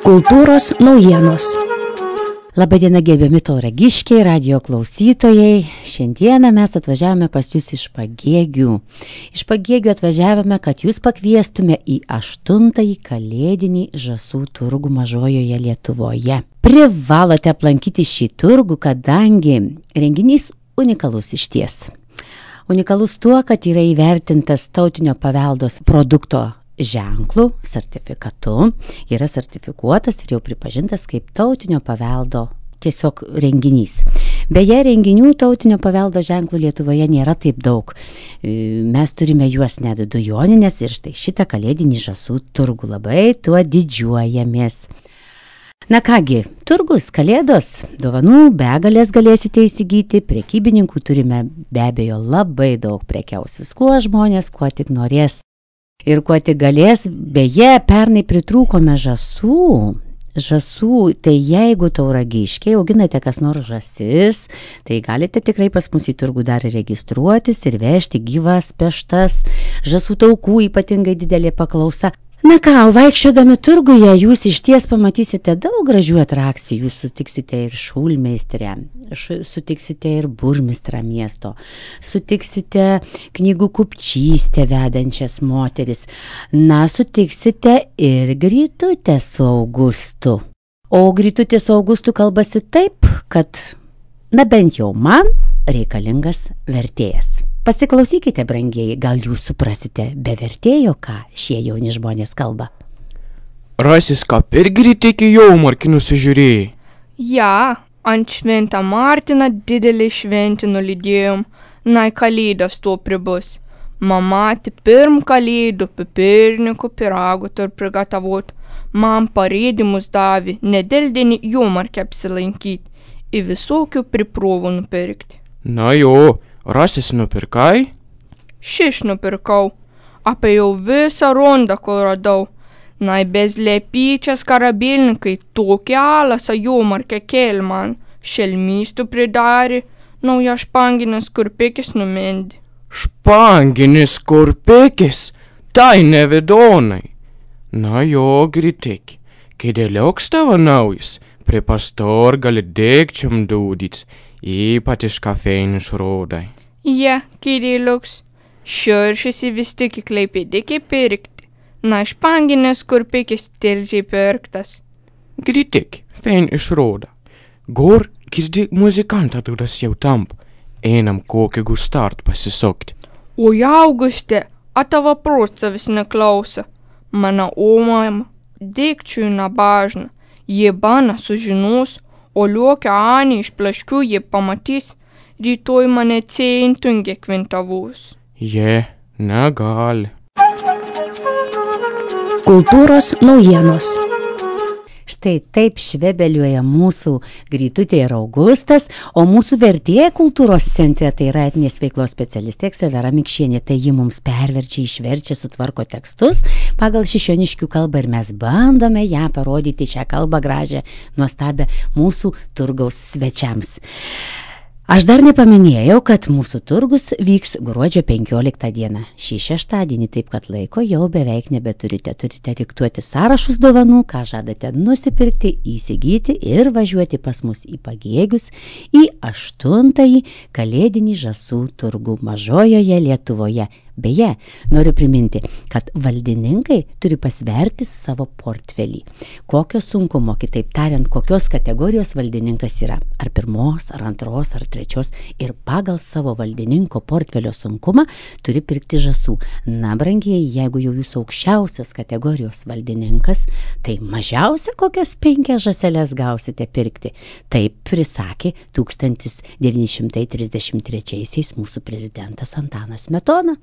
Kultūros naujienos. Labadiena, gerbiami tauragiškiai, radijo klausytojai. Šiandieną mes atvažiavome pas jūs iš Pagėgių. Iš Pagėgių atvažiavome, kad jūs pakviestume į 8-ąjį kalėdinį žąsų turgų Mažojoje Lietuvoje. Privalote aplankyti šį turgų, kadangi renginys unikalus išties. Unikalus tuo, kad yra įvertintas tautinio paveldos produkto ženklų, sertifikatu, yra sertifikuotas ir jau pripažintas kaip tautinio paveldo tiesiog renginys. Beje, renginių tautinio paveldo ženklų Lietuvoje nėra taip daug. Mes turime juos net 2 Joninės ir štai šitą kalėdinį žąsų turgų labai tuo didžiuojamės. Na kągi, turgus, kalėdos, dovanų begalės galėsite įsigyti, prekybininkų turime be abejo labai daug, prekiaus viskuo žmonės, kuo tik norės. Ir kuo tik galės, beje, pernai pritrūkome žąsų, tai jeigu tauragiškiai auginate kas nors žąsis, tai galite tikrai pas mus į turgų dar registruotis ir vežti gyvas peštas, žąsų taukų ypatingai didelė paklausa. Na ką, vaikščiodami turguje jūs išties pamatysite daug gražių atrakcijų, jūs sutiksite ir šulmeistrę, sutiksite ir burmistrą miesto, sutiksite knygų kupčystę vedančias moteris, na, sutiksite ir Grytutę su Augustu. O Grytutė su Augustu kalbasi taip, kad, na bent jau man, reikalingas vertėjas. Pasiklausykite, brangieji, gal jūs suprasite be vertėjo, ką šie jauni žmonės kalba. Rasis ką per Grytėkį jaumarkį nusižiūrėjai? Ja, ant Šventą Martiną didelį šventį nulydėjom, nai kalėdas to pribus. Mama pirm kalėdų pipirnikų pyragų tur prigatavot. Man parėdimus davė nedeldienį jaumarkį apsilankyti, į visokių priprovų nupirkti. Na jo, rasis nupirkai? Šiš nupirkau, apėjau visą rondą, kol radau. Nai bez lepyčias karabėlininkai tokį alasą jaumarkę kėl man, šelmystų pridarė, nauja španginis kurpikis numendi. Španginis kurpikis? Tai nevidonai. Na jo, Grytėki, kai dėlioks tavo naujas, prie pastor gali dėkčiam dūdyts, ypat iš kafeinių šrodai. Ja, kiriluks, širšisi vis tik į Klaipėdėkį pirkti, na španginis kurpikis tilžiai pirktas. Grytėki, fein išroda. Gor girdi muzikantą dudas jau tamp, einam kokį gustart pasisokti. Oi, Auguste, a tavo prosta vis neklausa. Mano omam dėkčiui nabažna, jie bana sužinos, o liuokia Anį iš plaškių jie pamatys, rytoj mane ceintungia kvintavus. Je, negali. Kultūros naujienos. Štai taip švebeliuoja mūsų Grytutė ir Augustas, o mūsų vertėja kultūros centre, tai yra etinės veiklos specialistė Ksavera Mikšienė, tai ji mums perverčia, išverčia, sutvarko tekstus pagal šišioniškių kalbą ir mes bandome ją parodyti, šią kalbą gražią, nuostabią mūsų turgaus svečiams. Aš dar nepaminėjau, kad mūsų turgus vyks gruodžio 15 dieną. Šį šeštadienį, taip kad laiko jau beveik nebeturite. Turite diktuoti sąrašus dovanų, ką žadate nusipirkti, įsigyti ir važiuoti pas mus į Pagėgius į 8-ąjį kalėdinį žąsų turgų Mažojoje Lietuvoje. Beje, noriu priminti, kad valdininkai turi pasverti savo portfelį. Kokio sunkumo, kitaip tariant, kokios kategorijos valdininkas yra. Ar 1, ar 2, ar 3. Ir pagal savo valdininko portfelio sunkumą turi pirkti žąsų. Na, brangieji, jeigu jau jūs aukščiausios kategorijos valdininkas, tai mažiausia kokias 5 žąseles gausite pirkti. Taip prisakė 1933 mūsų prezidentas Antanas Smetona.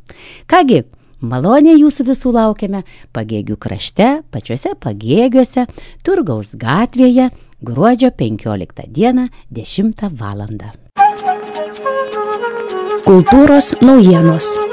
Kągi, maloniai jūsų visų laukiame Pagėgių krašte, pačiuose Pagėgiuose, Turgaus gatvėje, gruodžio 15 dieną, 10 valandą. Kultūros naujienos.